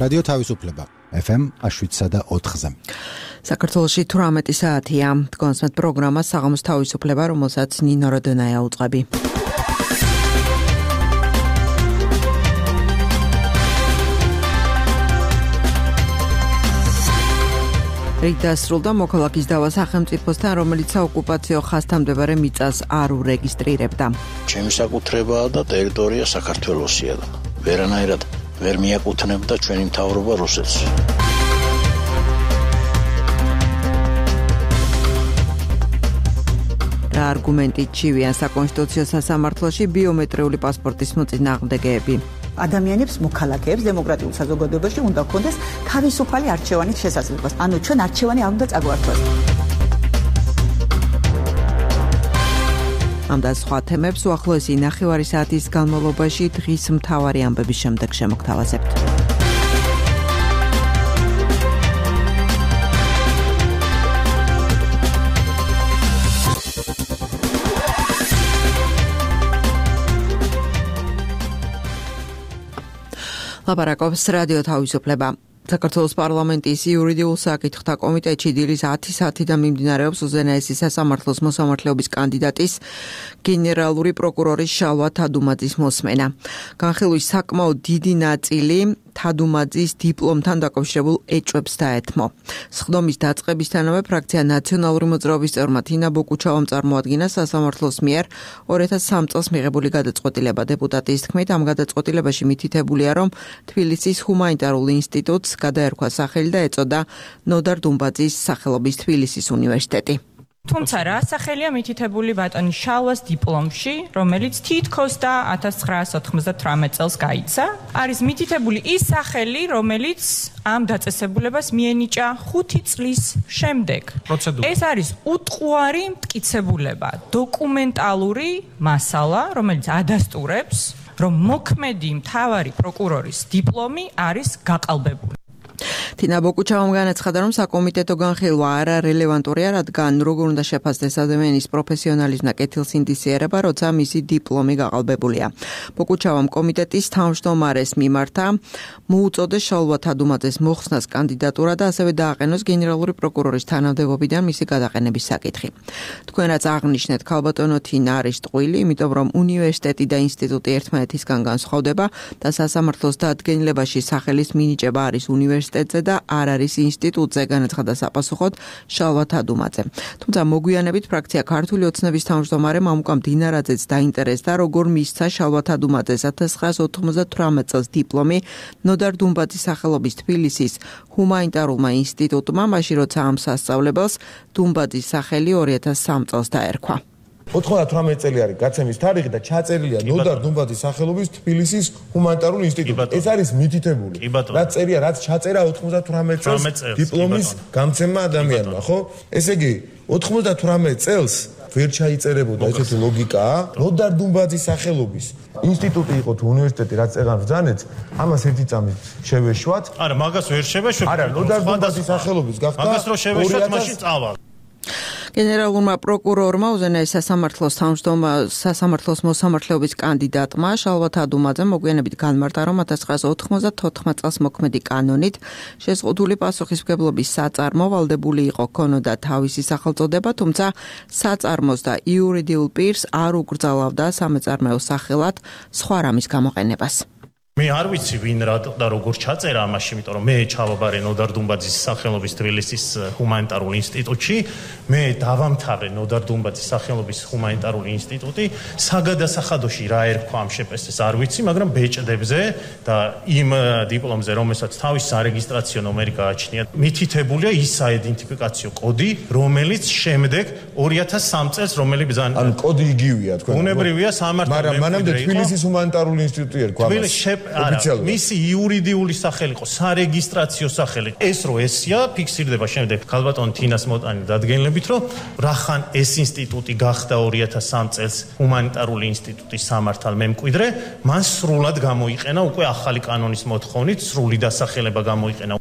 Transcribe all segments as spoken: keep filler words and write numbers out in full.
რადიო თავისუფლება ეფ ემ შვიდსა და ოთხზე. საქართველოში თვრამეტი საათია. დგონსმეთ პროგრამა საღამოს თავისუფლება, რომელსაც ნინო როდონაია უწყები. რიგ დასრულდა მოქალაქის დავა სახელმწიფოსთან, რომელიც საოკუპაციო ხაზთამდებარე მიწას არ ურეგისტრირებდა. ჩემი საკუთრებაა და ტერიტორია საქართველოსია და ვერანაირად ვერ მიაკუთვნებდა ჩვენი მთავრობა რუსეთს. რა არგუმენტით ჩივიან საკონსტიტუციო სასამართლოში ბიომეტრიული პასპორტის მოწინააღმდეგეები? ადამიანებს მოქალაქეებს დემოკრატიულ საზოგადოებაში უნდა ჰქონდეს თავისუფალი არჩევანის შესაძლებლობა. ანუ ჩვენ არჩევანი არ უნდა წაგვართვას. ამ და სხვა თემებს უახლოესი ნახევარი საათის განმავლობაში დღის მთავარი ამბების შემდეგ შემოგთავაზებთ. ლაპარაკობს რადიო თავისუფლება. საქართველოს პარლამენტის იურიდიულ საკითხთა კომიტეტში დილის ათი საათიდან მიმდინარეობს უზენაესი სასამართლოს მოსამართლეობის კანდიდატის გენერალური პროკურორის შალვა თადუმაძის მოსმენა. განხილვის საკმაოდ დიდი ნაწილი თადუმაძის დიპლომთან დაკავშირებულ ეჭვებს დაეთმო. სხდომის დაწყებისთანავე ფრაქცია ნაციონალური მოძრაობის წევრმა თინა ბოკუჩავამ წარმოადგინა სასამართლოს მიერ ორი ათას სამი წელს მიღებული გადაწყვეტილება. დეპუტატის თქმით, ამ გადაწყვეტილებაში მითითებულია, რომ თბილისის ჰუმანიტარულ ინსტიტუტს გადაერქვა სახელი და ეწოდა ნოდარ დუმბაძის სახელობის თბილისის უნივერსიტეტი. თუმცა რა სახელია მითითებული ბატონი შალვას დიპლომში, რომელიც თითქოს და ათას ცხრაასი ოთხმოცდათვრამეტ წელს გაიცა, არის მითითებული ის სახელი, რომელიც ამ დაწესებულებას მიენიჭა ხუთი წლის შემდეგ. ეს არის უტყუარი მტკიცებულება, დოკუმენტალური მასალა, რომელიც ადასტურებს, რომ მოქმედი მთავარი პროკურორის დიპლომი არის გაყალბებული. თინა ბოკუჩავამ განაცხადა, რომ საკომიტეტო განხილვა არარელევანტურია, რადგან როგორ უნდა შეფასდეს ადამიანის პროფესიონალიზმი და კეთილს ინდიციერება, როცა მისი დიპლომი გაყალბებულია. ბოკუჩავამ კომიტეტის თავმჯდომარეს მიმართა მოუწოდეს შალვა თადუმაძეს მოხსნას კანდიდატურა და ასევე დააყენოს გენერალური პროკურორის თანამდებობიდან მისი გადაყენების საკითხი. თქვენ რაც აღნიშნეთ, ქალბატონო თინა არის ტყუილი, იმიტომ რომ უნივერსიტეტი და ინსტიტუტი ერთმანეთისგან განსხვავდება და სასამართლოს დადგენილებაში სახელის მინიჭება არის უნივერსიტეტზე და არ არის ინსტიტუტზე, განაცხადა საპასუხოდ შალვა თადუმაძე. თუმცა მოგვიანებით ფრაქცია ქართული ოცნების თავმჯდომარემ ამუკამ დინარაძეც დაინტერესდა, როგორ მისცა შალვა თადუმაძეს ათას ცხრაასი ოთხმოცდათვრამეტ წელს დიპლომი ნოდარ დუმბაძის სახელობის თბილისის ჰუმანიტარულმა ინსტიტუტმა, მაშინ როცა ამ სასწავლებელს დუმბაძის სახელი ორი ათას სამი წელს დაერქვა. ოთხმოცდათვრამეტი წელი არის გაცემის თარიღი და ჩაწერილია ნოდარ დუმბაძის სახელობის თბილისის ჰუმანიტარულ ინსტიტუტში. ეს არის მითითებული. რაც წერია, რაც ჩაწერა ოთხმოცდათვრამეტ წელს დიპლომის გამცემმა ადამიანმა, ხო? ესე იგი, ოთხმოცდათვრამეტ წელს ვერ ჩაიწერებოდა ესეთი ლოგიკაა. ნოდარ დუმბაძის სახელობის ინსტიტუტი იყო თუ უნივერსიტეტი, რაც წეღან ბრძანეთ, ამას ერთი წამით შევეშვათ. არა, მაგას ვერ შევეშვათ. არა, ნოდარ დუმბაძის სახელობის გახდა. მაგას რო შევეშვათ, მაშინ წავალ. გენერალურმა პროკურორმა უზენაეს სასამართლოს თავმჯდომარე სასამართლოს მოსამართლეობის კანდიდატმა შალვა თადუმაძემ მოგვიანებით განმარტა, რომ ათას ცხრაასი ოთხმოცდათოთხმეტ წელს მოქმედი კანონით შეზღუდული პასუხისმგებლობის საწარმო ვალდებული იყო ქონოდა თავისი სახელწოდება, თუმცა საწარმოს და იურიდიულ პირს არ უკრძალავდა სამეწარმეო სახელად სხვა რამის გამოყენებას. მე არ ვიცი ვინ რა და როგორ ჩაწერა ამაში, იმიტომ რომ მე ჩავაბარე ნოდარ დუმბაძის სახელობის თბილისის ჰუმანიტარულ ინსტიტუტში, მე დავამთავრე ნოდარ დუმბაძის სახელობის ჰუმანიტარული ინსტიტუტი, საგადასახადოში რა ერქვა ამ შეპესეს არ ვიცი, მაგრამ ბეჭდებზე და იმ დიპლომზე, რომელსაც თავის სარეგისტრაციო ნომერი გააჩნია, მითითებულია ის საიდენტიფიკაციო კოდი, რომელიც შემდეგ ორი ათას სამი წელს რომელი ბრძანა. ანუ კოდი იგივეა თქვენ. უნებრივია სამართალ მაგრამ მანამდე თბილისის ჰუმანიტარული ინსტიტუტი ერქვა ამას. არა, მისი იურიდიული სახელი იყო, სარეგისტრაციო სახელი. ეს რო ესია, ფიქსირდება შემდეგ ქალბატონ თინას მოტანი დადგენილებით, რომ რახან ეს ინსტიტუტი გახდა ორი ათას სამი წელს ჰუმანიტარული ინსტიტუტის სამართალ მემკვიდრე, მან სრულად გამოიყენა უკვე ახალი კანონის მოთხოვნით, სრული დასახელება გამოიყენა.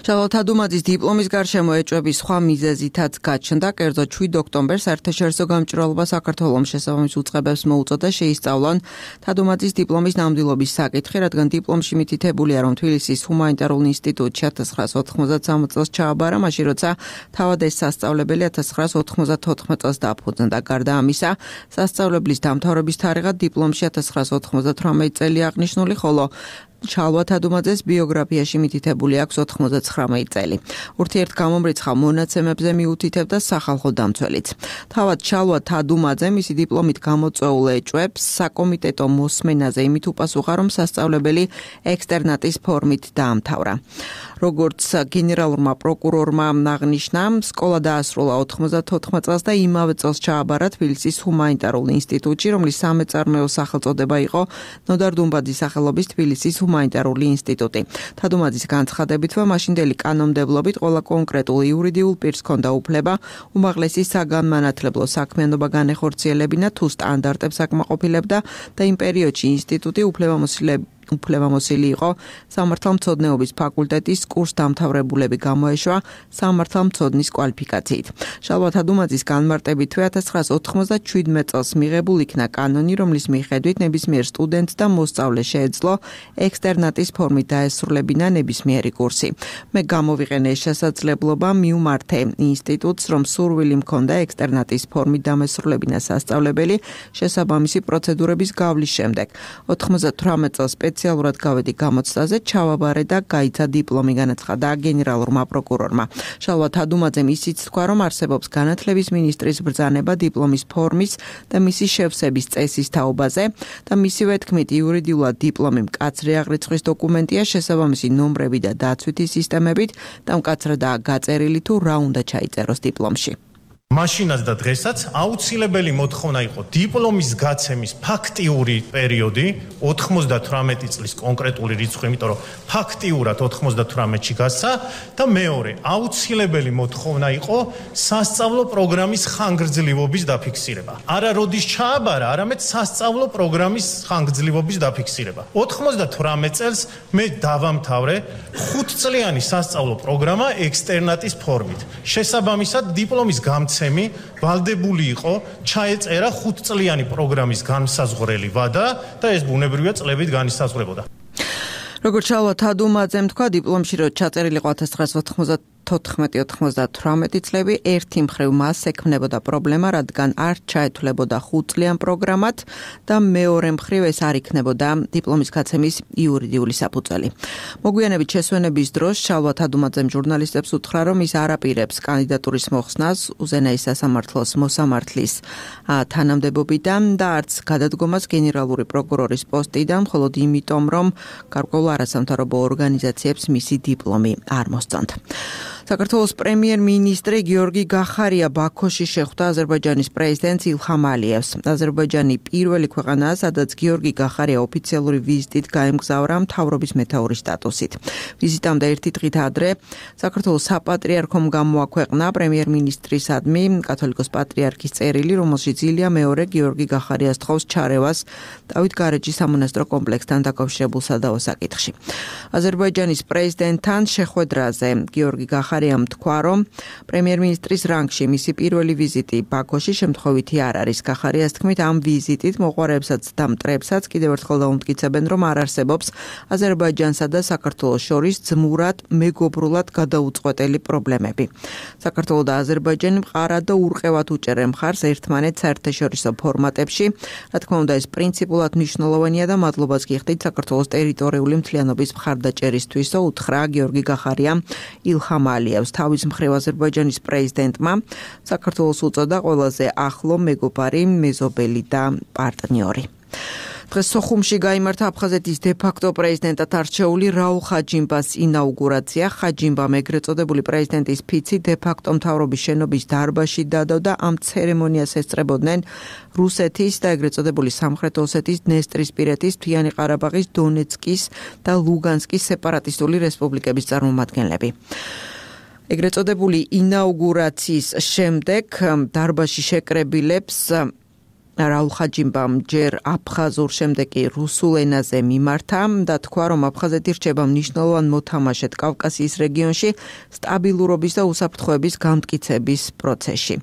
შალვა თადუმაძის დიპლომის გარშემო ეჭვების სხვა მიზეზითაც გაჩნდა, კერძოდ შვიდ ოქტომბერს საერთაშორისო გამჭვირვალობა საქართველოს შესაბამის უწყებებს მოუწოდა შეისწავლონ თადუმაძის დიპლომის ნამდვილობის საკითხი, რადგან დიპლომში მითითებულია, რომ თბილისის ჰუმანიტარულ ინსტიტუტში ათას ცხრაასა ოთხმოცდასამი წელს ჩააბარა, მაშინ როცა თავად ეს სასწავლებელი ათას ცხრაასა ოთხმოცდათოთხმეტ წელს დააფუძნდა. გარდა ამისა, სასწავლებლის დამთავრების თარიღად დიპლომში ათას ცხრაასა ოთხმოცდათვრამეტი წელი აღნიშნული, ხოლო შალვა თადუმაძეს ბიოგრაფიაში მითითებული აქვს ოთხმოცდათხრამეტი წელი. ურთიერთგამომრიცხავ მონაცემებზე მიუთითებდა სახალხო დამცველიც. თავად შალვა თადუმაძე მისი დიპლომით გამოწვეულ ეჭვებს საკომიტეტო მოსმენაზე იმით უპასუხა, რომ სასწავლებელი ექსტერნატის ფორმით დაამთავრა. როგორც გენერალურმა პროკურორმა აღნიშნა, სკოლა დაასრულა ოთხმოცდათოთხმეტ წელს და იმავე წელს ჩააბარა თბილისის ჰუმანიტარულ ინსტიტუტში, რომლის სამეწარმეო სახელწოდება იყო ნოდარ დუმბაძის სახელობის თბილისის ჰუმანიტარული ინსტიტუტი. თადუმაძის განცხადებითმა მაშინდელი კანონმდებლობით ყველა კონკრეტულ იურიდიულ პირს ჰქონდა უფლება უმაღლესი საგანმანათლებლო საქმიანობა განეხორციელებინა თუ სტანდარტებს აკმაყოფილებდა და იმ პერიოდში ინსტიტუტი უფლებამოსილები უფლებამოსილი იყო სამართალმცოდნეობის ფაკულტეტის კურსდამთავრებულები გამოეშვა სამართალმცოდნის კვალიფიკაციით. შალვა თადუმაძის განმარტებითვე ათას ცხრაასა ოთხმოცდაშვიდმეტ წელს მიღებულ იქნა კანონი, რომლის მიხედვით ნებისმიერ სტუდენტს და მოსწავლეს შეეძლო ექსტერნატის ფორმით დაესრულებინა ნებისმიერი კურსი. მე გამოვიყენე ეს შესაძლებლობა, მიუმართე ინსტიტუტს, რომ სურვილი მქონდა ექსტერნატის ფორმით დამესრულებინა სასწავლებელი შესაბამისი პროცედურების გავლის შემდეგ. ოთხმოცდათვრამეტ წელს სპეციალურად გავედი გამოცდაზე, ჩავაბარე და გაიცა დიპლომი, განაცხადა გენერალურმა პროკურორმა. შალვა თადუმაძემ ისიც თქვა, რომ არსებობს განათლების მინისტრის ბრძანება დიპლომის ფორმის და მისი შევსების წესის თაობაზე და მისივე თქმით იურიდიულად დიპლომი მკაცრი აღრიცხვის დოკუმენტია, შესაბამისი ნომრები და დაცვითი სისტემებით და მკაცრადაა გაწერილი თუ რა უნდა ჩაიწეროს დიპლომში. მაშინაც და დღესაც აუცილებელი მოთხოვნა იყო დიპლომის გაცემის ფაქტიური პერიოდი ოთხმოცდათვრამეტი წლის კონკრეტული რიცხვი, იმიტომ რომ ფაქტიურად ოთხმოცდათვრამეტში გასცა და მეორე აუცილებელი მოთხოვნა იყო სასწავლო პროგრამის ხანგრძლივობის დაფიქსირება. არა როდის ჩააბარა, არამედ სასწავლო პროგრამის ხანგრძლივობის დაფიქსირება. ოთხმოცდათვრამეტ წელს მე დავამთავრე ხუთწლიანი სასწავლო პროგრამა ექსტერნატის ფორმით. შესაბამისად დიპლომის გამცემი ვალდებული იყო ჩაეწერა ხუთწლიანი პროგრამის განსაზღვრელი ვადა და ეს ბუნებრივია წლებით განისაზღვრებოდა. როგორც შალვა თადუმაძემ თქვა, დიპლომში რო ჩაწერილი იყო ათას ცხრაასა ოთხმოცდათოთხმეტი ოცდათვრამეტი წლები, ერთი მხრივ მას ექმნებოდა პრობლემა, რადგან არ ჩაეთვლებოდა ხუთწლიან პროგრამად და მეორე მხრივ ეს არ იქნებოდა დიპლომის გაცემის იურიდიული საფუძველი. მოგვიანებით შესვენების დროს შალვა თადუმაძემ ჟურნალისტებს უთხრა, რომ ის არ აპირებს კანდიდატურის მოხსნას უზენაის სასამართლოს მოსამართლის თანამდებობიდან და არც გადადგომას გენერალური პროკურორის პოსტიდან, მხოლოდ იმიტომ, რომ გარკვეულ არასამთავრობო ორგანიზაციებს მისი დიპლომი არ მოსწონთ. საქართველოს პრემიერ-მინისტრი გიორგი გახარია ბაქოში შეხვდა აზერბაიჯანის პრეზიდენტს ილჰამ ალიევს. აზერბაიჯანი პირველი ქვეყანაა, სადაც გიორგი გახარია ოფიციალური ვიზიტით გაემგზავრა მთავრობის მეთაურის სტატუსით. ვიზიტამდე ერთი დღით ადრე საქართველოს საპატრიარქომ გამოაქვეყნა პრემიერ-მინისტრისადმი კათოლიკოს პატრიარქის წერილი, რომელშიც ილია მეორე გიორგი გახარიას თხოვს ჩარევას დავით გარეჯის სამონასტრო კომპლექსთან დაკავშირებულ სადავო საკითხში. აზერბაიჯანის პრეზიდენტთან შეხვედრაზე გიორგი გახარია ხარიამ თქვა, რომ პრემიერ-მინისტრის რანგში მისი პირველი ვიზიტი ბაქოში შემთხვევითი არ არის. გახარიას თქმით, ამ ვიზიტით მოყვარეებსაც და მტრებსაც კიდევ ერთხელ დაუმტკიცებენ, რომ არ არსებობს აზერბაიჯანსა და საქართველოს შორის ძმურად, მეგობრულად გადაუწყვეტელი პრობლემები. საქართველო და აზერბაიჯანი მყარად და ურყევად უჭერენ მხარს ერთმანეთს საერთაშორისო ფორმატებში. რა თქმა უნდა, ეს პრინციპულად მნიშვნელოვანია და მადლობას გიხდით საქართველოს ტერიტორიული მთლიანობის მხარდაჭერისთვისო, უთხრა გიორგი გახარიამ ილჰამ ალიევს. თავის მხრივ აზერბაიჯანის პრეზიდენტმა საქართველოს უწოდა ყველაზე ახლო მეგობარი, მეზობელი და პარტნიორი. დღეს სოხუმში გაიმართა აფხაზეთის დე-ფაქტო პრეზიდენტად არჩეული რაულ ხაჯიმბას ინაუგურაცია. ხაჯიმბამ ეგრეთ წოდებული პრეზიდენტის ფიცი დე-ფაქტო მთავრობის შენობის დარბაზში დადო და ამ ცერემონიას ესწრებოდნენ რუსეთის და ეგრეთ წოდებული სამხრეთ ოსეთის, დნესტრისპირეთის, მთიანი ყარაბაღის, დონეცკის და ლუგანსკის სეპარატისტული რესპუბლიკების წარმომადგენლები. ეგრეთ წოდებული ინაუგურაციის შემდეგ დარბაზში შეკრებილებს რაულ ხაჯიმბამ ჯერ აფხაზურ, შემდეგ კი რუსულ ენაზე მიმართა და თქვა, რომ აფხაზეთი რჩება მნიშვნელოვან მოთამაშედ კავკასიის რეგიონში სტაბილურობის და უსაფრთხოების გამტკიცების პროცესში.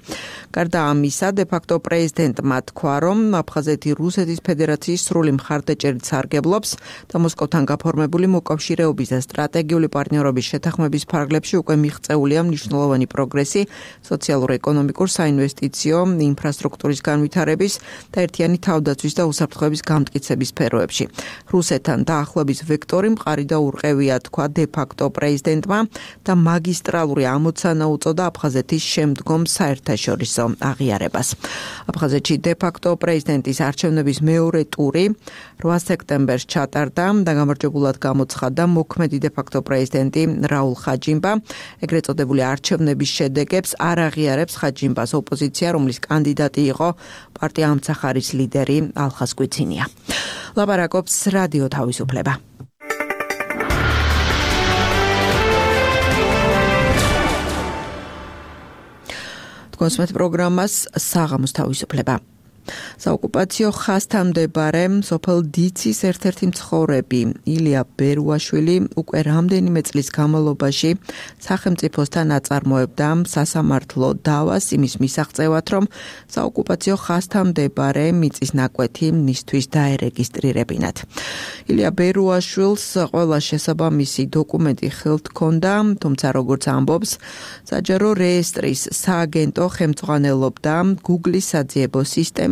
გარდა ამისა, დე-ფაქტო პრეზიდენტმა თქვა, რომ აფხაზეთი რუსეთის ფედერაციის სრული მხარდაჭერით სარგებლობს და მოსკოვთან გაფორმებული მოკავშირეობის და სტრატეგიული პარტნიორობის შეთანხმების ფარგლებში უკვე მიღწეულია მნიშვნელოვანი პროგრესი სოციალურ-ეკონომიკურ, საინვესტიციო, ინფრასტრუქტურის განვითარების და ერთიანი თავდაცვის და უსაფრთხოების გამტკიცების სფეროებში. რუსეთთან დაახლოების ვექტორი მყარი და ურყევია, თქვა დე-ფაქტო პრეზიდენტმა და მაგისტრალური ამოცანა უწოდა აფხაზეთის შემდგომ საერთაშორისო აღიარებას. აფხაზეთში დე-ფაქტო პრეზიდენტის არჩევნების მეორე ტური რვა სექტემბერს ჩატარდა და გამარჯვებულად გამოცხადდა მოქმედი დე-ფაქტო პრეზიდენტი რაულ ხაჯიმბა. ეგრეთ წოდებული არჩევნების შედეგებს არ აღიარებს ხაჯიმბას ოპოზიცია, რომლის კანდიდატი იყო პარტია ამცახარის ლიდერი ალხას კვიცინია. ლაპარაკობს რადიო თავისუფლება. კონსმეთ პროგრამას საღამოს თავისუფლება. საოკუპაციო ხაზთან მდებარე სოფელ დიცის ერთ-ერთი მცხოვრები ილია ბერუაშვილი უკვე რამდენიმე წლის განმავლობაში სახელმწიფოსთან აწარმოებდა სასამართლო დავას იმის მისაღწევად, რომ საოკუპაციო ხაზთან მდებარე მიწის ნაკვეთი მისთვის დაერეგისტრირებინათ. ილია ბერუაშვილს ყველა შესაბამისი დოკუმენტი ხელთ ჰქონდა, თუმცა როგორც ამბობს, საჯარო რეესტრის სააგენტო ხელმძღვანელობდა Google-ის საძიებო სისტემით.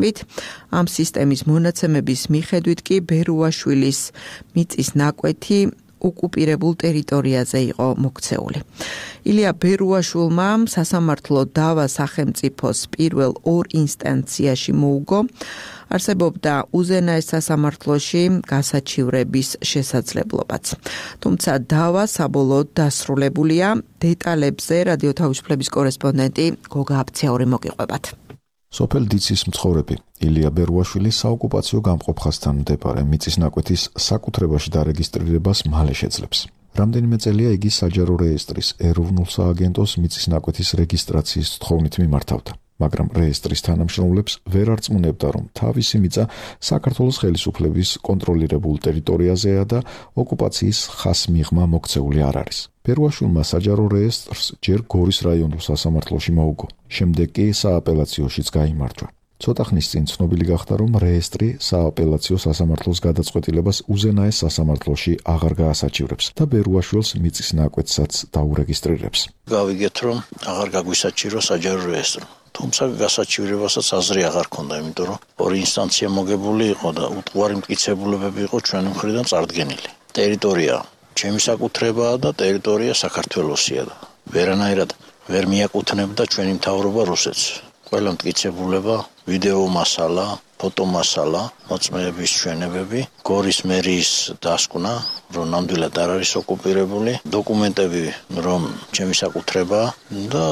ამ სისტემის მონაცემების მიხედვით კი ბერუაშვილის მიწის ნაკვეთი ოკუპირებულ ტერიტორიაზე იყო მოქცეული. ილია ბერუაშვილმა სასამართლო დავა სახელმწიფოს პირველ ორ ინსტანციაში მოუგო. არსებობდა უზენაეს სასამართლოში გასაჩივრების შესაძლებლობაც. თუმცა დავა საბოლოოდ დასრულებულია. დეტალებზე რადიო თავისუფლების კორესპონდენტი გოგა აბცაური მოგიყვებათ. სოფელ დიცის მცხოვრები ილია ბერუაშვილი საოკუპაციო გამყოფხასთან მდებარე მიწის ნაკვეთის საკუთრებაში დარეგისტრირებას მალე შეძლებს. რამდენიმე წელია იგი საჯარო რეესტრის ეროვნულ სააგენტოს მიწის ნაკვეთის რეგისტრაციის თხოვნით მიმართავდა, მაგრამ რეესტრის თანამშრომლებს ვერ არწმუნებდა, რომ თავისი მიწა საქართველოს ხელისუფლების კონტროლირებულ ტერიტორიაზეა და ოკუპაციის ხაზმიღმა მოქცეული არ არის. ბერუაშვილმა საჯარო რეესტრს ჯერ გორის რაიონულ სასამართლოში მოუგო, შემდეგ კი სააპელაციოშიც გაიმარჯვა. ცოტა ხნის წინ ცნობილი გახდა, რომ რეესტრი სააპელაციო სასამართლოს გადაწყვეტილებას უზენაეს სასამართლოში აღარ გაასაჩივრებს და ბერუაშვილს მიწის ნაკვეთსაც დაურეგისტრირებს. გავიგეთ, რომ აღარ გაგვისაჩირო საჯარო რეესტრი. თუმცა გასაჩივრებასაც აზრი აღარ ქონდა, იმიტომ რომ ორი ინსტანცია მოგებული იყო და უტყუარი მტკიცებულებები იყო ჩვენი მხრიდან წარდგენილი. ტერიტორია ჩემი საკუთრებაა და ტერიტორია საქართველოსია და ვერანაირად ვერ მიაკუთვნებდა ჩვენი მთავრობა რუსეთს. ყველა მტკიცებულება, ვიდეო მასალა, ფოტო მასალა, მოწმეების ჩვენებები, გორის მერიის დასკვნა, რომ ნამდვილად არ არის ოკუპირებული, დოკუმენტები, რომ ჩემი საკუთრებაა და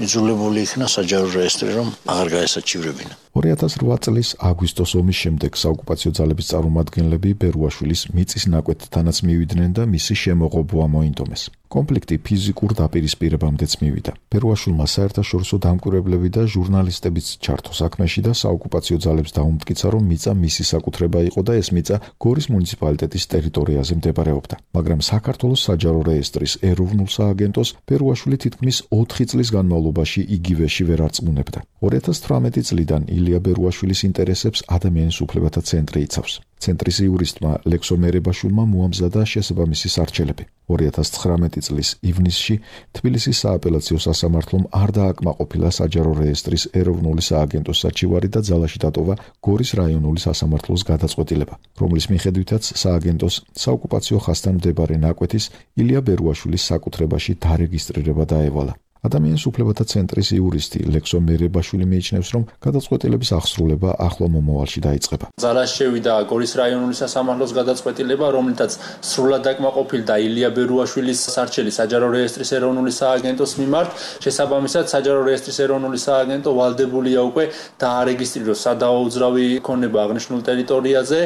იძულებული იქნა საჯარო რეესტრი, რომ აღარ გაესაჩივრებინა. ორი ათას რვა წლის აგვისტოს ომის შემდეგ საოკუპაციო ძალების წარმომადგენლები ბერუაშვილის მიწის ნაკვეთთანაც მივიდნენ და მისი შემოღობა მოინდომეს. კონფლიქტი ფიზიკურ დაპირისპირებამდეც მივიდა. ბერუაშვილმა საერთაშორისო დამკვირვებლები და ჟურნალისტებიც ჩართო საქმეში და საოკუპაციო ძალებს დაუმტკიცა, რომ მიწა მისი საკუთრება იყო და ეს მიწა გორის მუნიციპალიტეტის ტერიტორიაზე მდებარეობდა. მაგრამ საქართველოს საჯარო რეესტრის ეროვნულ სააგენტოს ბერუაშვილი თითქმის ოთხი წლის განმავლობაში იგივეში ვერ არწმუნებდა. ორი ათას თვრამეტი წლიდან ილია ბერუაშვილის ინტერესებს ადამიანის უფლებათა ცენტრი იცავს. ცენტრის იურისტმა ლექსო მერებაშვილმა მოამზადა შესაბამისი სარჩელები. ორი ათას ცხრამეტი წლის ივნისში თბილისის სააპელაციო სასამართლომ არ დააკმაყოფილა საჯარო რეესტრის ეროვნული სააგენტოს საჩივარი და ძალაში დატოვა გორის რაიონული სასამართლოს გადაწყვეტილება, რომლის მიხედვითაც სააგენტოს საოკუპაციო ხაზთან მდებარე ნაკვეთის ილია ბერუაშვილის საკუთრებაში დარეგისტრირება დაევალა. ადამიანის უფლებათა ცენტრის იურისტი ლექსო მერებაშვილი მიიჩნევს, რომ გადაწყვეტილების აღსრულება ახლო მომავალში დაიწყება. ძალაში შევიდა გორის რაიონული სასამართლოს გადაწყვეტილება, რომლითაც სრულად დაკმაყოფილდა ილია ბერუაშვილის სარჩელი საჯარო რეესტრის ეროვნული სააგენტოს მიმართ. შესაბამისად, საჯარო რეესტრის ეროვნული სააგენტო ვალდებულია უკვე დაარეგისტრიროს სადავო უძრავი ქონება აღნიშნულ ტერიტორიაზე.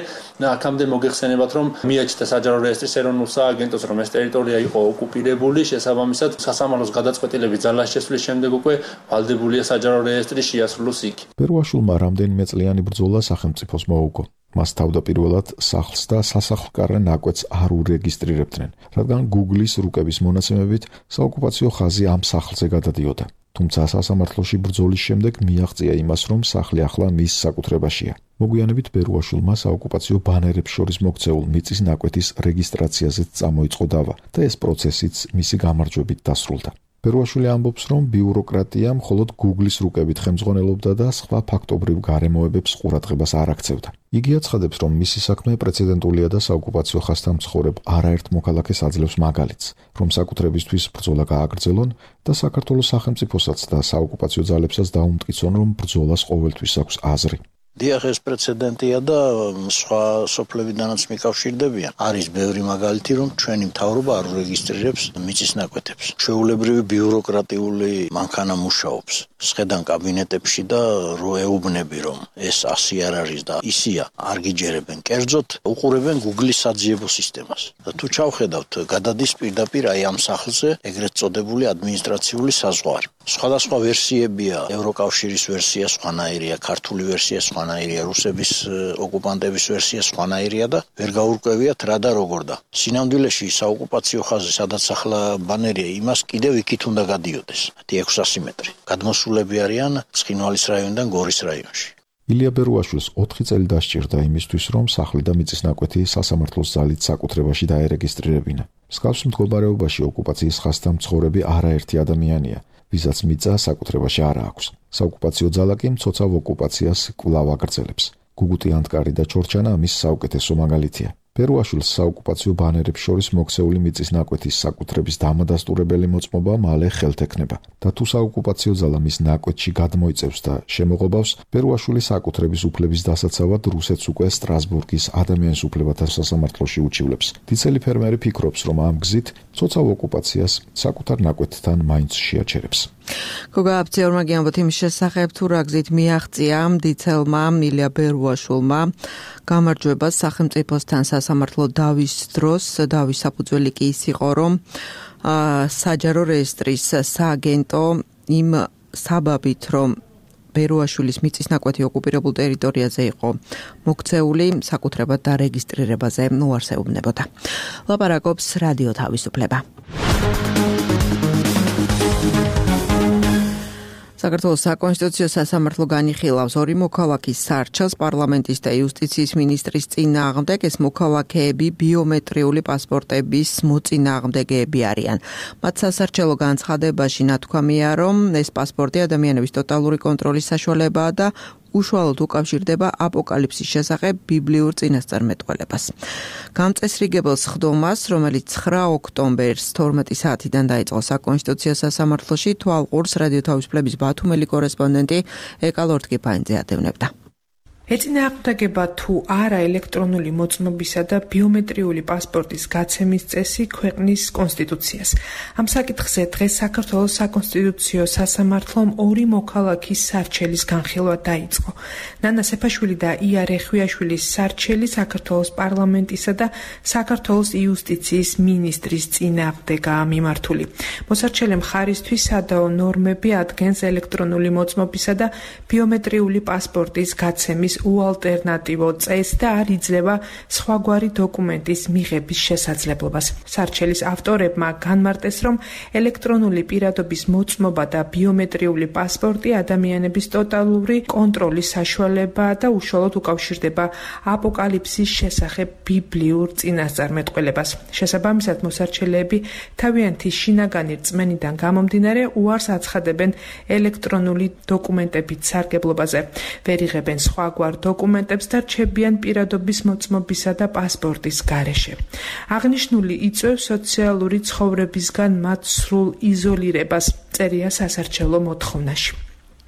აქამდე მოგეხსენებათ, რომ მიაჩნდა საჯარო რეესტრის ეროვნულ სააგენტოს, რომ ეს ტერიტორია იყო ოკუპირებული. შესაბამისად, სასამართლოს გადაწყვეტილებით ძალას შესვლის შემდეგ უკვე ვალდებულია საჯარო რეესტრი შეასრულოს იქ. ბერუაშვილმა რამდენიმე წლიანი ბრძოლა სახელმწიფოს მოუგო. მას თავდაპირველად სახლს და სასახლკარე ნაკვეთს არ ურეგისტრირებდნენ, რადგან Google-ის რუკების მონაცემებით საოკუპაციო ხაზი ამ სახლზე გადადიოდა. თუმცა სასამართლოში ბრძოლის შემდეგ მიაღწია იმას, რომ სახლი ახლა მის საკუთრებაშია. მოგვიანებით ბერუაშვილმა საოკუპაციო ბანერებს შორის მოქცეულ მიწის ნაკვეთის რეგისტრაციაზეც წამოიწყო დავა და ეს პროცესიც მისი გამარჯვებით დასრულდა. ბერუაშვილი ამბობს, რომ ბიუროკრატია მხოლოდ Google-ის რუკებით ხელმძღვანელობდა და სხვა ფაქტობრივ გარემოებებს ყურადღებას არ აქცევდა. იგი აცხადებს, რომ მისი საქმე პრეცედენტულია და საოკუპაციო ხაზთან მცხოვრებ არაერთ მოქალაქეს აძლევს მაგალითს, რომ საკუთრებისთვის ბრძოლა გააგრძელონ და საქართველოს სახელმწიფოსაც და საოკუპაციო ძალებსაც დაუმტკიცონ, რომ ბრძოლას ყოველთვის აქვს აზრი. დიახ, ეს პრეცედენტია და სხვა სოფლებიდანაც მიკავშირდებიან. არის ბევრი მაგალითი, რომ ჩვენი მთავრობა არ რეგისტრირებს მიწის ნაკვეთებს. ჩვეულებრივი ბიუროკრატიული მანქანა მუშაობს. სხედან კაბინეტებში და რო ეუბნები, რომ ეს ასე არ არის და ისია, არ გიჯერებენ. კერძოდ უყურებენ Google-ის საძიებო სისტემას. და თუ ჩავხედავთ, გადადის პირდაპირ აი ამ სახლზე ეგრეთ წოდებული ადმინისტრაციული საზღვარი. სხვადასხვა ვერსიებია, ევროკავშირის ვერსია სხვანაირია, ქართული ვერსია სხვანაირია, რუსების ოკუპანტების ვერსია სხვანაირია და ვერ გაურკვევიათ რა და როგორ და. სინამდვილეში საოკუპაციო ხაზი, სადაც ახლა ბანერია, იმას კიდევ იქით უნდა გადიოდეს. ექვსასი მეტრი. გადმოსულები არიან ცხინვალის რაიონიდან გორის რაიონში. ილია ბერუაშვილს ოთხი წელი დასჭირდა იმისთვის, რომ სახლი და მიწის ნაკვეთი სასამართლოს ძალით საკუთრებაში დაერეგისტრირებინა. მსგავს მდგომარეობაში ოკუპაციის ხაზთან მცხოვრები არაერთი ადამიანია, ვისაც მიწა საკუთრებაში არ აქვს. საოკუპაციო ძალა კი მცოცავ ოკუპაციას კვლავ აგრძელებს. გუგუტი ანტკარი და ჩორჩანა ამის საუკეთესო მაგალითია. ბერუაშვილს საოკუპაციო ბანერებს შორის მოქცეული მიწის ნაკვეთის საკუთრების დამადასტურებელი მოწმობა მალე ხელთ ექნება და თუ საოკუპაციო ძალა მის ნაკვეთში გადმოიწევს და შემოღობავს, ბერუაშვილის საკუთრების უფლების დასაცავად რუსეთს უკვე სტრასბურგის ადამიანის უფლებათა სასამართლოში უჩივლებს. დიცელი ფერმერი ფიქრობს, რომ ამ გზით მცოცავ ოკუპაციას საკუთარ ნაკვეთთან მაინც შეაჩერებს. გოგა აბციორმა გიამბოთ იმის შესახებ, თუ რა გზით მიაღწია დიცელმა ილია ბერუაშვილმა გამარჯვებას სახელმწიფოსთან სასამართლო დავის დროს. დავის საფუძველი კი ის იყო, რომ საჯარო რეესტრის სააგენტო იმ საბაბით, რომ ბერუაშვილის მიწის ნაკვეთი ოკუპირებულ ტერიტორიაზე იყო მოქცეული, საკუთრებად დარეგისტრირებაზე უარსებობნებოდა. ლაპარაკობს რადიო თავისუფლება. საქართველოს საკონსტიტუციო სასამართლო განიხილავს ორი მოქალაქის სარჩელს პარლამენტის და იუსტიციის მინისტრის წინააღმდეგ. ეს მოქალაქეები ბიომეტრიული პასპორტების მოწინააღმდეგეები არიან. მათ სასარჩელო განცხადებაში ნათქვამია, რომ ეს პასპორტი ადამიანების ტოტალური კონტროლის საშუალებაა და უშუალოდ უკავშირდება აპოკალიფსის შესახებ ბიბლიურ წინასწარმეტყველებას. გამწესრიგებელ სხდომას, რომელიც ცხრა ოქტომბერს თორმეტი საათიდან დაიწყო საკონსტიტუციო სასამართლოში, თვალყურს რადიო თავისუფლების ბათუმელი კორესპონდენტი ეკა ლორთკიფანიძე ადევნებდა. ეწინააღმდეგება თუ არა ელექტრონული მოწმობისა და ბიომეტრიული პასპორტის გაცემის წესი ქვეყნის კონსტიტუციას. ამ საკითხზე დღეს საქართველოს საკონსტიტუციო სასამართლომ ორი მოქალაქის სარჩელის განხილვა დაიწყო. ნანა სეფაშვილი და ია რეხვიაშვილის სარჩელი საქართველოს პარლამენტისა და საქართველოს იუსტიციის მინისტრის წინააღმდეგაა მიმართული. მოსარჩელე მხარისთვის სადაო ნორმები ადგენს ელექტრონული მოწმობისა და ბიომეტრიული პასპორტის გაცემის უალტერნატივო წესს და არ იძლევა სხვაგვარი დოკუმენტის მიღების შესაძლებლობას. სარჩელის ავტორებმა განმარტეს, რომ ელექტრონული პირადობის მოწმობა და ბიომეტრიული პასპორტი ადამიანების ტოტალური კონტროლის საშუალებაა და უშუალოდ უკავშირდება აპოკალიფსის შესახებ ბიბლიურ წინასწარმეტყველებას. შესაბამისად, მოსარჩელეები თავიანთი შინაგანი რწმენიდან გამომდინარე უარს აცხადებენ ელექტრონული დოკუმენტებით სარგებლობაზე. ვერ იღებენ სხვაგვარ დოკუმენტებს და რჩებიან პირადობის მოწმობისა და პასპორტის გარეშე. აღნიშნული იწვევს სოციალური ცხოვრებისგან მათ სრულ იზოლირებას, წერია სასარჩელო მოთხოვნაში.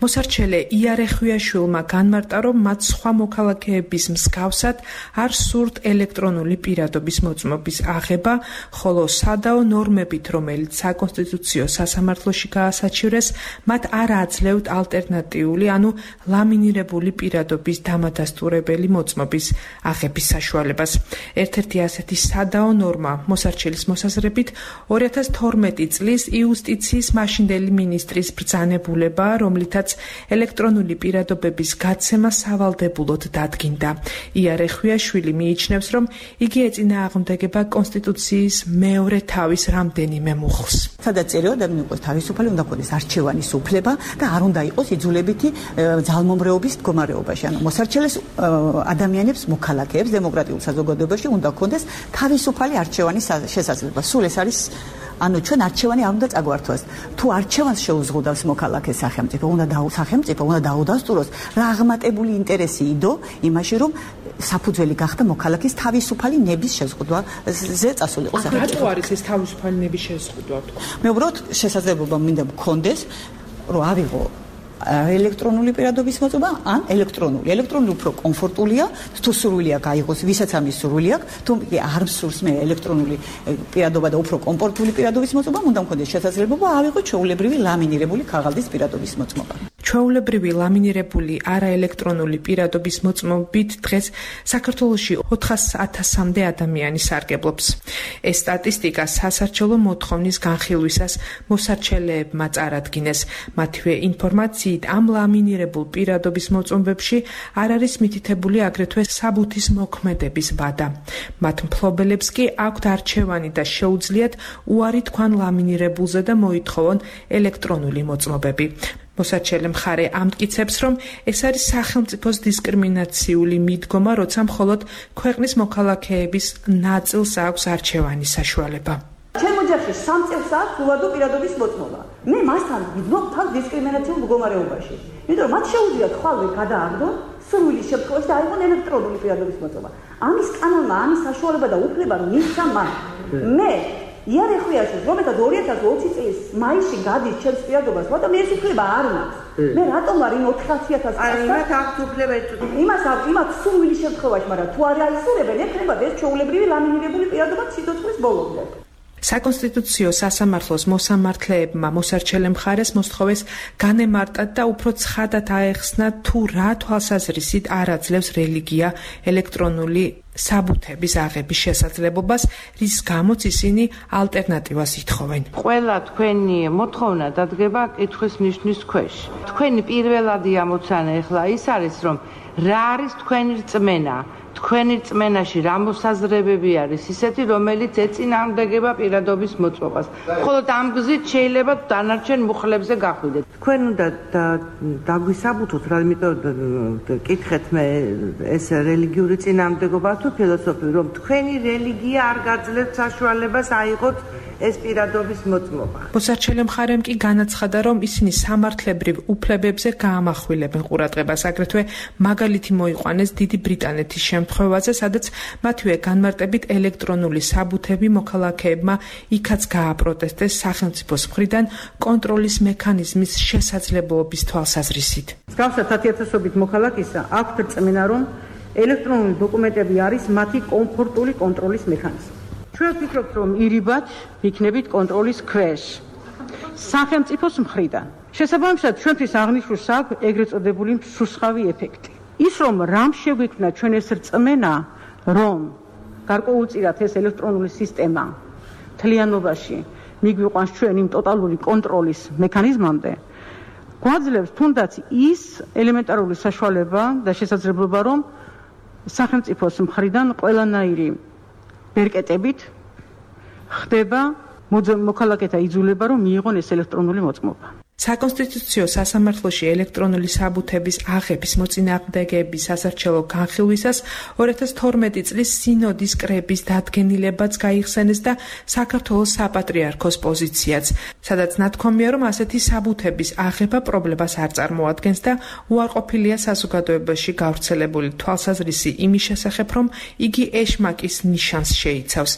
მოსარჩელე იარე ხვიაშვილმა განმარტა, რომ მათ სხვა მოქალაქეების მსგავსად არ სურთ ელექტრონული პირადობის მოწმობის აღება, ხოლო სადაო ნორმებით, რომელიც საკონსტიტუციო სასამართლოში გაასაჩივრეს, მათ არ აძლევთ ალტერნატიული, ანუ ლამინირებული პირადობის დამადასტურებელი მოწმობის აღების საშუალებას. ერთ-ერთი ასეთი სადაო ნორმა მოსარჩელის მოსაზრებით ორი ათას თორმეტი წლის იუსტიციის მაშინდელი მინისტრის ბრძანებულება, რომლითაც ელექტრონული პირადობების გაცემა სავალდებულოდ დადგინდა. იარე ხვიაშვილი მიიჩნევს, რომ იგი ეწინააღმდეგება კონსტიტუციის მეორე თავის რამდენიმე მუხლს. სადაც წერია, ადამიანი იყოს თავისუფალი, უნდა ქონდეს არჩევანის უფლება და არ უნდა იყოს იძულებითი ძალმომრეობის მდგომარეობაში. ანუ მოსარჩელეს ადამიანებს, მოქალაქეებს დემოკრატიულ საზოგადოებაში უნდა ქონდეს თავისუფალი არჩევანის შესაძლებლობა. სულ ეს არის ანუ ჩვენ არჩევანი არ უნდა წაგვართვას. თუ არჩევანს შეუზღუდავს მოქალაქე სახელმწიფო, უნდა დაუ სახელმწიფო უნდა დაუდასტუროს რა აღმატებული ინტერესი იდო იმაში, რომ საფუძველი გახდა მოქალაქის თავისუფალი ნების შეზღუდვაზე წასულიყო სახელმწიფო. რატო არის ეს თავისუფალი ნების შეზღუდვა თქო? მე უბრალოდ შესაძლებლობა მინდა მქონდეს, რომ ავიღო ელექტრონული პირადობის მოწმობა ან ელექტრონული. ელექტრონული უფრო კომფორტულია, თუ სურვილი აქვს აიღოს, ვისაც ამის სურვილი აქვს, თუ არ მსურს მე ელექტრონული პირადობა და უფრო კომფორტული პირადობის მოწმობა, უნდა მქონდეს შესაძლებლობა ავიღო ჩვეულებრივი ლამინირებული ქაღალდის პირადობის მოწმობა. ჩვეულებრივი ლამინირებული არაელექტრონული პირადობის მოწმობით დღეს საქართველოში ოთხას ათასამდე ადამიანი სარგებლობს. ეს სტატისტიკა სასარჩელო მოთხოვნის განხილვისას მოსარჩელეებმა წარადგინეს. მათივე ინფორმაციით ამ ლამინირებულ პირადობის მოწმობებში არ არის მითითებული აგრეთვე საბუთის მოქმედების ვადა. მათ მფლობელებს კი აქვთ არჩევანი და შეუძლიათ უარი თქვან ლამინირებულზე და მოითხოვონ ელექტრონული მოწმობები. მოსარჩელე მხარე ამტკიცებს, რომ ეს არის სახელმწიფოს დისკრიმინაციული მიდგომა, როცა მხოლოდ ქვეყნის მოქალაქეების ნაწილს აქვს არჩევანის საშუალება. ჩემ ოჯახში სამ წელს აქვს უვადო პირადობის მოწმობა. მე მასთან ვიძნობ თავს დისკრიმინაციულ მდგომარეობაში. იმიტომ რომ მათ შეუძლიათ ხვალე გადააგდონ სურვილის შემთხვევაში და აიღონ ელექტრონული პირადობის მოწმობა. ამის კანონმა ამის საშუალება და უფლება მისცა მათ. მე იარე ხვიაშვილს, რომელსაც ორი ათას ოცი წლის მაისში გადის ჩემს პირადობას, მაგრამ მე ეს უფლება არ მაქვს. მე რატომ არ იმ ოთხასი ათას წელს? აი, მათ აქვს უფლება ეწოდოს. იმას აქვს, იმათ სურვილის შემთხვევაში, მაგრამ თუ არ აისურებენ, ექნებათ ეს ჩვეულებრივი ლამინირებული პირადობა სიცოცხლის ბოლომდე. საკონსტიტუციო სასამართლოს მოსამართლეებმა მოსარჩელე მხარეს მოსთხოვეს განემარტათ და უფრო ცხადად აეხსნათ, თუ რა თვალსაზრისით არ აძლევს რელიგია ელექტრონული საბუთების აღების შესაძლებლობას, რის გამოც ისინი ალტერნატივას ითხოვენ. ყველა თქვენი მოთხოვნა დადგება კითხვის ნიშნის ქვეშ. თქვენი პირველადი ამოცანა ეხლა ის არის, რომ რა არის თქვენი რწმენა? თქვენი რწმენაში რა მოსაზრებები არის ისეთი, რომელიც ეწინააღმდეგება პირადობის მოწმობას. მხოლოდ ამ გზით შეიძლება დანარჩენ მუხლებზე გახვიდეთ. თქვენ უნდა დაგვისაბუთოთ, რა იმიტომ კითხეთ მე ეს რელიგიური წინააღმდეგობა თუ ფილოსოფიური, რომ თქვენი რელიგია არ გაძლევთ საშუალებას აიღოთ ეს პირადობის მოწმობა. მოსარჩელე მხარემ კი განაცხადა, რომ ისინი სამართლებრივ უფლებებზე გაამახვილებენ ყურადღებას. აგრეთვე მაგალითი მოიყვანეს დიდი ბრიტანეთის შემთხვევაზე, სადაც მათივე განმარტებით ელექტრონული საბუთები მოქალაქეებმა იქაც გააპროტესტეს სახელმწიფოს მხრიდან კონტროლის მექანიზმის შესაძლებლობის თვალსაზრისით. მსგავსად ათიათასობით მოქალაქისა აქვთ რწმენა, რომ ელექტრონული დოკუმენტები არის მათი კომფორტული კონტროლის მექანიზმი. ჩვენ ვფიქრობთ, რომ ირიბად იქნებით კონტროლის ქვეშ სახელმწიფოს მხრიდან. შესაბამისად, ჩვენთვის აღნიშნულს აქვს ეგრეთ წოდებული მსუსხავი ეფექტი. ის რომ რამ შეგვიქმნა ჩვენ ეს რწმენა, რომ გარკვეულწილად ეს ელექტრონული სისტემა მთლიანობაში მიგვიყვანს ჩვენ იმ ტოტალური კონტროლის მექანიზმამდე, გვაძლევს თუნდაც ის ელემენტარული საშუალება და შესაძლებლობა, რომ სახელმწიფოს მხრიდან ყველანაირი ბერკეტებით ხდება მოქალაქეთა იძულება, რომ მიიღონ ეს ელექტრონული მოწმობა. საკონსტიტუციო სასამართლოში ელექტრონული საბუთების აღების მოწინააღმდეგეების სასარჩელო განხილვისას ორი ათას თორმეტი წლის სინოდის კრების დადგენილებაც გაიხსენეს და საქართველოს საპატრიარქოს პოზიციაც, სადაც ნათქვამია, რომ ასეთი საბუთების აღება პრობლემას არ წარმოადგენს და უარყოფილია საზოგადოებაში გავრცელებული თვალსაზრისი იმის შესახებ, რომ იგი ეშმაკის ნიშანს შეიცავს.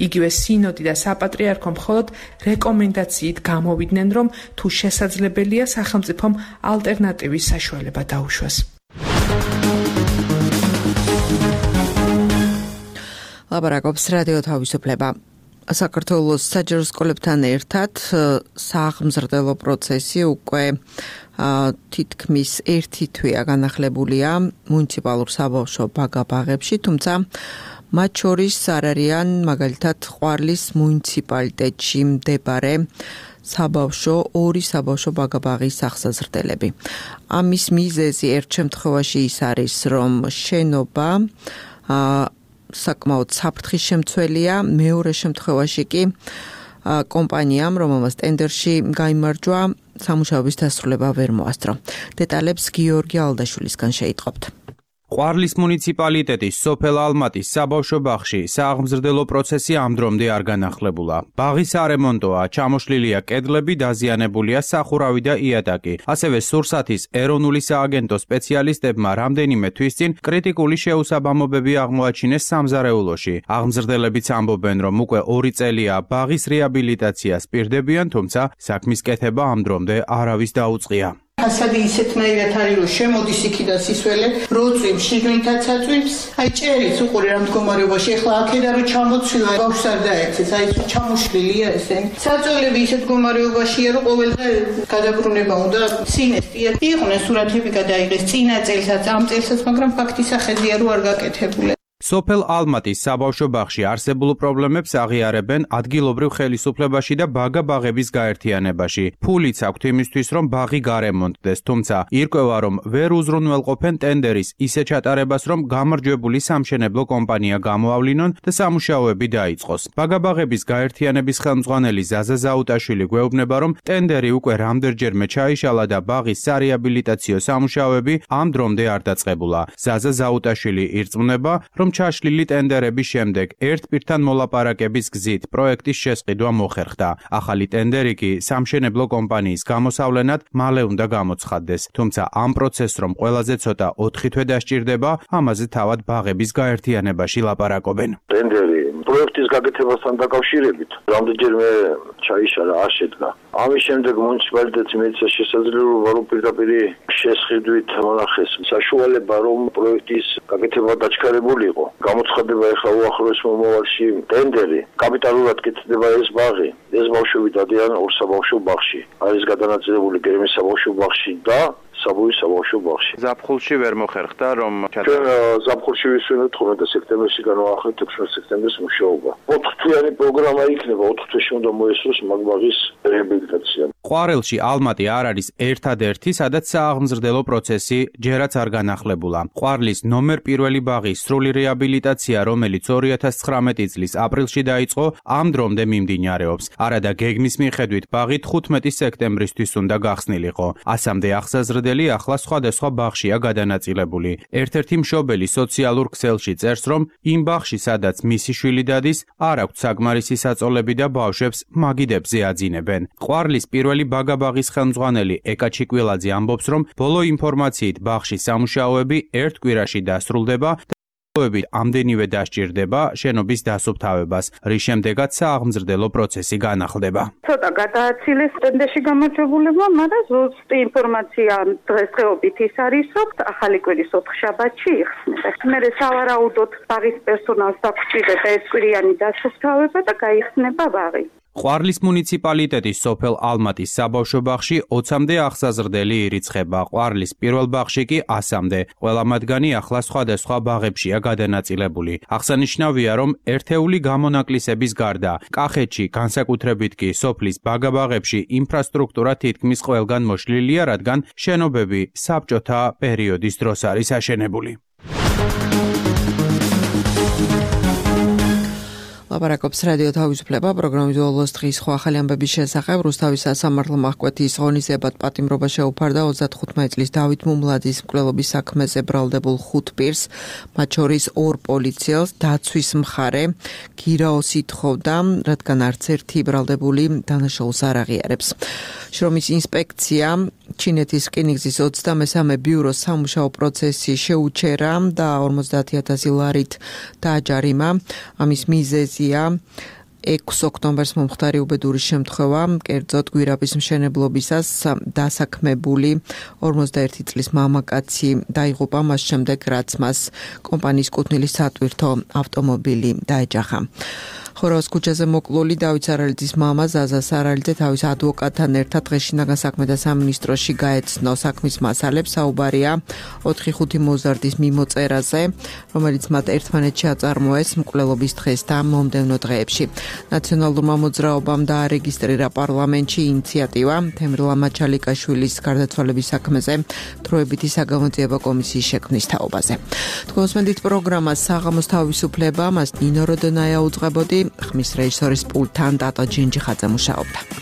იგივე სინოდი და საპატრიარქო მხოლოდ რეკომენდაციით გამოვიდნენ, რომ თუ შესაძლოა შესაძლებელია სახელმწიფომ ალტერნატივის საშუალება დაუშვას. ლაპარაკობს რადიო თავისუფლება. საქართველოს საჯარო სკოლებთან ერთად სააღმზრდელო პროცესი უკვე თითქმის ერთი თვეა განახლებულია მუნიციპალურ საბავშვო ბაგა-ბაღებში, თუმცა მათ შორის არ არიან მაგალითად ყვარლის მუნიციპალიტეტში მდებარე საბავშვო ორი საბავშვო ბაგა-ბაღის აღსაზრდელები. ამის მიზეზი ერთ შემთხვევაში ის არის, რომ შენობა საკმაოდ საფრთხის შემცველია, მეორე შემთხვევაში კი კომპანიამ, რომელმაც ტენდერში გაიმარჯვა, სამუშაოების დასრულება ვერ მოასწრო. დეტალებს გიორგი ალდაშვილისგან შეიტყობთ. ყვარლის მუნიციპალიტეტის სოფელ ალმატის საბავშვო ბაღში სააღმზრდელო პროცესი ამ დრომდე არ განახლებულა. ბაღი სარემონტოა, ჩამოშლილია კედლები, დაზიანებულია სახურავი და იატაკი. ასევე სურსათის ეროვნული სააგენტო სპეციალისტებმა რამდენიმე თვის წინ კრიტიკული შეუსაბამობები აღმოაჩინეს სამზარეულოში. აღმზრდელებიც ამბობენ, რომ უკვე ორი წელია ბაღის რეაბილიტაციას პირდებიან, თუმცა საქმის კეთება ამ დრომდე არავის დაუწყია. ფასადი ისეთნაირად არის, რომ შემოდის იქიდან სისველი, როწვიმს, შიგნითაც აწვიმს. აი ჭერიც უყური რა მდგომარეობაში, ეხლა აქედან რომ ჩამოცვივა, ბავშვს არ დაეცეს, აი ჩამოშლილია ესენი. საწოლები ისეთ მდგომარეობაშია, რომ ყოველდღე გადაბრუნება უნდა სინესტია. იყვნენ სურათები გადაიღეს წინა წელსაც, ამ წელსაც, მაგრამ ფაქტი სახედია, რომ არ გაკეთებულა. სოფელ ალმატის საბავშვო ბაღში არსებულ პრობლემებს აღიარებენ ადგილობრივ ხელისუფლებაში და ბაგა-ბაღების გაერთიანებაში. ფულიც აქვთ იმისთვის, რომ ბაღი გარემონტდეს, თუმცა ირკვევა, რომ ვერ უზრუნველყოფენ ტენდერის ისე ჩატარებას, რომ გამარჯვებული სამშენებლო კომპანია გამოავლინონ და სამუშაოები დაიწყოს. ბაგა-ბაღების გაერთიანების ხელმძღვანელი ზაზა ზაუტაშვილი გვეუბნება, რომ ტენდერი უკვე რამდენჯერმე ჩაიშალა და ბაღის სარეაბილიტაციო სამუშაოები ამ დრომდე არ დაწყებულა. ზაზა ზაუტაშვილი ირწმუნება, რომ ჩაშლილი ტენდერების შემდეგ ერთ პირთან მოლაპარაკების გზით პროექტის შესყიდვა მოხერხდა. ახალი ტენდერი კი სამშენებლო კომპანიის გამოსავლენად მალე უნდა გამოცხადდეს. თუმცა ამ პროცესს რომ ყველაზე ცოტა ოთხი თვე დასჭირდება, ამაზე თავად ბაღების გაერთიანებაში ლაპარაკობენ. ტენდერი პროექტის გაკეთებასთან დაკავშირებით რამდენჯერმე ჩაიშალა, არ შედგა. ამის შემდეგ მუნიციპალიტეტს მიეცა შესაძლებლობა, რომ პირდაპირ შესყიდვით მონახეს საშუალება, რომ პროექტის გაკეთება დაჩქარებული იყო. გამოცხადება ეხლა უახლოეს მომავალში ტენდერი. კაპიტალურად კეთდება ეს ბაღი. ეს ბავშვები დადიან ორ საბავშვო ბაღში. არის გადანაწილებული გერმის საბავშვო ბაღში და საბუის საბავშვო ბაღში. ზაფხულში ვერ მოხერხდა, რომ ჩვენ ზაფხულში ვისვენოთ ხოლმე და სექტემბერში განვაახლეთ ექვსმეტ სექტემბერს მუშაობა. ოთხთვიანი პროგრამა იქნება, ოთხ თვეში უნდა მოესწროს მაგ ბაღის რეაბილიტაცია. ყვარელში ალმატი არ არის ერთადერთი, სადაც სააღმზრდელო პროცესი ჯერაც არ განახლებულა. ყვარლის ნომერ პირველი ბაღის სრული რეაბილიტაცია, რომელიც ორი ათას ცხრამეტი წლის აპრილში დაიწყო, ამ დრომდე მიმდინარეობს. არადა გეგმის მიხედვით ბაღი თხუთმეტი სექტემბრისთვის უნდა გახსნილიყო. ასამდე აღსაზრდელი ახლა სხვადასხვა ბაღშია გადანაწილებული. ერთ-ერთი მშობელი სოციალურ ქსელში წერს, რომ იმ ბაღში, სადაც მისი შვილი დადის, არ აქვს საკმარისი საწოლები და ბავშვებს მაგიდებზე აძინებენ. ყვარლის პირველი ბაგა-ბაღის ხელმძღვანელი ეკა ჩიკვილაძე ამბობს, რომ ბოლო ინფორმაციით ბაღში სამუშაოები ერთ კვირაში დასრულდება და ამდენივე დასჭირდება შენობის დასუფთავებას, რის შემდეგაც სააღმზრდელო პროცესი განახლდება. ცოტა გადააცილეს ტენდერში გამარჯვებულებმა, მაგრამ ზუსტი ინფორმაცია დღესდღეობით ის არის, რომ ახალი კვირის ოთხშაბათში იხსნება. მერე სავარაუდოდ ბაღის პერსონალს დაგჭირდება ეს კვირიანი დასუფთავება და გაიხსნება ბაღი. ყვარლის მუნიციპალიტეტის სოფელ ალმატის საბავშვო ბაღში ოცამდე აღსაზრდელი ირიცხება. ყვარლის პირველ ბაღში კი ასამდე. ყველა მათგანი ახლა სხვადასხვა ბაღებშია გადანაწილებული. აღსანიშნავია, რომ ერთეული გამონაკლისების გარდა, კახეთში, განსაკუთრებით კი სოფლის ბაგა-ბაღებში ინფრასტრუქტურა თითქმის ყველგან მოშლილია, რადგან შენობები საბჭოთა პერიოდის დროს არის აშენებული. ლაპარაკობს რადიო თავისუფლება პროგრამის ოლოს დღის ხო ახალი ამბების შესახებ. რუსთავის სასამართლო მაჰკვეთის ღონისძიებად პატიმრობა შეუფარდა ოცდათხუთმეტი წლის დავით მუმლაძის მკვლელობის საქმეზე ბრალდებულ ხუთ პირს, მათ შორის ორ პოლიციელს. დაცვის მხარე გირაოს ითხოვდა, რადგან არც ერთი ბრალდებული დანაშაულს არ აღიარებს. შრომის ინსპექცია ჩინეთის რკინიგზის ოცდამესამე ბიუროს სამუშაო პროცესი შეუჩერა და ორმოცდაათი ათასი ლარით დააჯარიმა. ამის მიზეზია ექვსი ოქტომბერს მომხდარი უბედური შემთხვევა, კერძოდ გვირაბის მშენებლობისას დასაქმებული ორმოცდაერთი წლის მამაკაცი დაიღუპა მას შემდეგ, რაც მას კომპანიის კუთვნილი სატვირთო ავტომობილი დაეჯახა. ხოროას ქუჩაზე მოკლული დავით სარალიძის მამა ზაზა სარალიძე თავის ადვოკატთან ერთად დღეშინაგან საქმეთა სამინისტროში გაეცნო საქმის მასალებს. საუბარია ოთხი ხუთი მოზარდის მიმოწერაზე, რომელიც მათ ერთმანეთში აწარმოეს მკვლელობის დღეს და მომდევნო დღეებში. ნაციონალურმა მოძრაობამ დაარეგისტრირა პარლამენტში ინიციატივა თემრ ლამაჩალიკაშვილის გარდაცვალების საქმეზე დროებითი საგამოძიებო კომისიის შექმნის თაობაზე. თქვენსმენდით პროგრამას საღამოს თავისუფლება, მას ნინო როდონაია უძღვებოდი. ხმის რეჟისორის პულტთან დატო ჯინჯიხაძე მუშაობდა.